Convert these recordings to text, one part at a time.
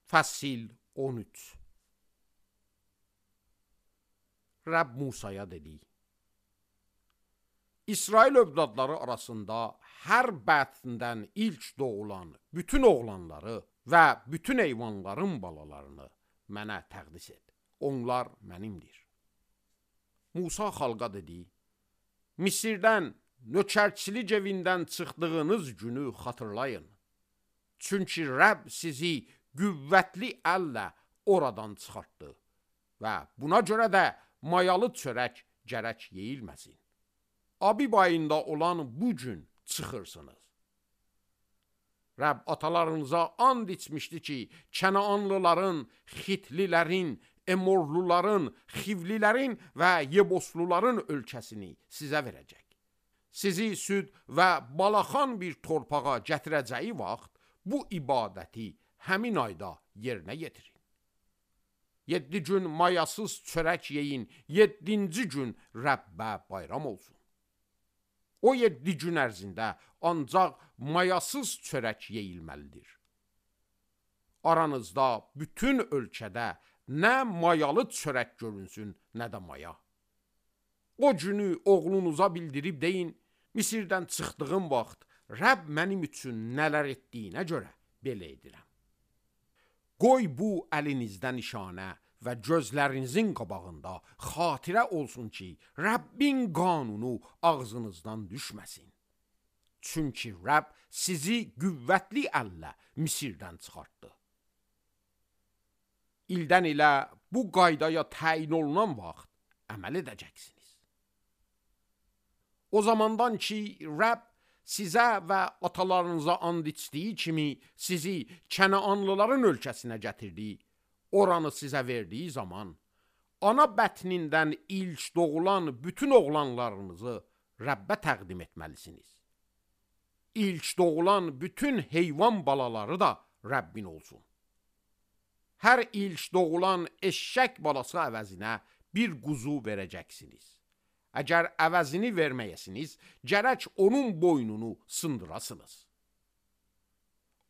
Fəsil 13. Rəbb Musaya dedi: İsrail övladları arasında hər bətnindən ilk doğulan bütün oğlanları və bütün heyvanların balalarını mənə təqdis et. Onlar mənimdir. Musa xalqa dedi: Misirdən, nökərçilik evindən çıxdığınız günü xatırlayın. Çünki Rəbb sizi qüvvətli əllə oradan çıxartdı və buna görə də mayalı çörək gərək yeyilməsin. Abib ayında olan bu gün çıxırsınız. Rəbb atalarınıza and içmişdi ki, Kənaanlıların, Xitlilərin, Emorluların, Xivlilərin və Yebosluların ölkəsini sizə verəcək. Sizi süd və balaxan bir torpağa gətirəcəyi vaxt bu ibadəti həmin ayda yerinə yetirin. 7 gün mayasız çörək yeyin, 7-ci gün Rəbbə bayram olsun. O 7 gün ərzində ancaq mayasız çörək yeyilməlidir. Aranızda bütün ölkədə nə mayalı çörək görünsün, nə də maya. O günü oğlunuza bildirib deyin: Misirdən çıxdığım vaxt Rəbb mənim üçün nələr etdiyinə görə belə edirəm. Qoy bu əlinizdə nişanə və gözlərinizin qabağında xatirə olsun ki, Rəbbin qanunu ağzınızdan düşməsin. Çünki Rəbb sizi qüvvətli əllə Misirdən çıxartdı. İldən ilə bu qaydaya təyin olunan vaxt əməl edəcəksiniz. O zamandan ki, Rəbb sizə və atalarınıza and içdiyi kimi sizi Kənaanlıların ölkəsinə gətirdi, oranı sizə verdiyi zaman, ana bətnindən ilk doğulan bütün oğlanlarınızı Rəbbə təqdim etməlisiniz. İlk doğulan bütün heyvan balaları da Rəbbin olsun. Hər ilk doğulan eşşək balası əvəzinə bir quzu verəcəksiniz. Əgər əvəzini verməyəsiniz, gərək onun boynunu sındırasınız.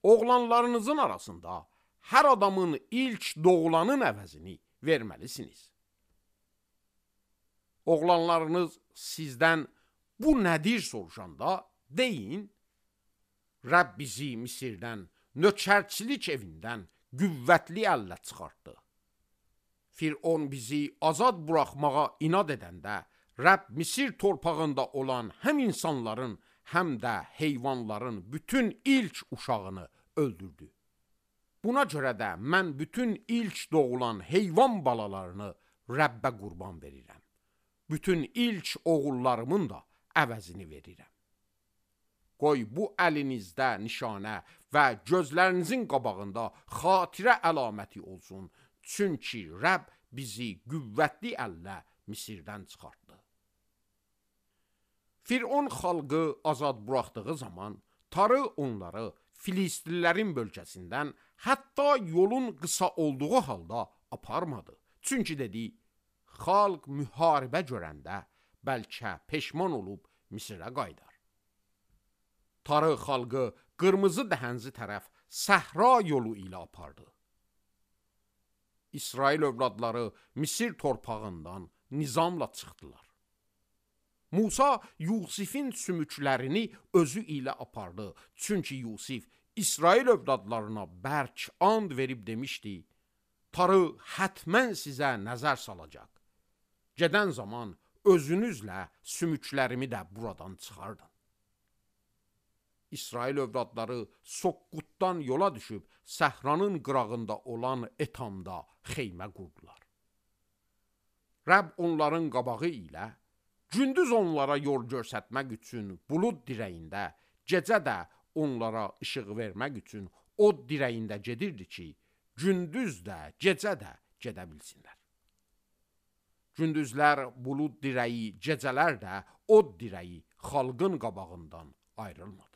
Oğlanlarınızın arasında hər adamın ilk doğulanın əvəzini verməlisiniz. Oğlanlarınız sizdən bu nədir soruşanda deyin: Rəbb bizi Misirdən, nökərçilik evindən qüvvətli əllə çıxartdı. Firon bizi azad buraxmağa inad edəndə, Rəbb Misir torpağında olan həm insanların, həm də heyvanların bütün ilk uşağını öldürdü. Buna görə də mən bütün ilk doğulan heyvan balalarını Rəbbə qurban verirəm. Bütün ilk oğullarımın da əvəzini verirəm. Qoy bu əlinizdə nişanə və gözlərinizin qabağında xatirə əlaməti olsun. Çünki Rəbb bizi qüvvətli əllə Misirdən çıxartdı. Firon xalqı azad buraxdığı zaman tarı onları Filistlilərin bölgəsindən hətta yolun qısa olduğu halda aparmadı. Çünki dedi: xalq müharibə görəndə bəlkə peşman olub Misirə qaydar. Tarı xalqı qırmızı dəhənzi tərəf səhra yolu ilə apardı. İsrail övladları Misir torpağından nizamla çıxdılar. Musa Yusifin sümüklərini özü ilə apardı. Çünki Yusif İsrail övladlarına bərk and verib demişdi: tarı hətmən sizə nəzər salacaq. Gedən zaman özünüzlə sümüklərimi də buradan çıxardın. İsrail övladları Soqqutdan yola düşüb səhranın qırağında olan Etamda xeymə qurdular. Rəbb onların qabağı ilə gündüz onlara yol göstərmək üçün bulud dirəyində, gecə də onlara işıq vermək üçün od dirəyində gedirdi ki, gündüz də, gecə də gedə bilsinlər. Gündüzlər bulud dirəyi, gecələr də od dirəyi xalqın qabağından ayrılmadı.